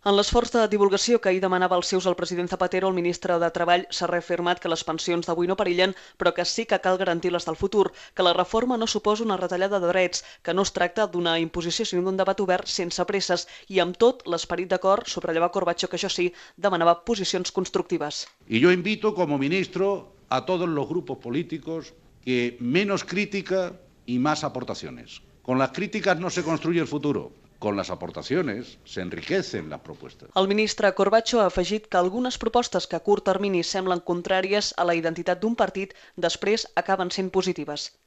En l'esforç de divulgació que ahir demanava als seus el president Zapatero, el ministre de Treball s'ha reafirmat que les pensions d'avui no perillen, però que sí que cal garantir les del futur, que la reforma no suposa una retallada de drets, que no es tracta d'una imposició sinó d'un debat obert sense presses i amb tot l'esperit d'acord, subratllava Corbacho, que això sí, demanava posicions constructives. Y yo invito como ministro a todos los grupos políticos que menos crítica y más aportaciones. Con las críticas no se construye el futuro. Con las aportaciones se enriquecen las propuestas. El ministre Corbacho ha afegit que algunes propostes que a curt termini semblen contràries a la identitat d'un partit després acaben sent positives.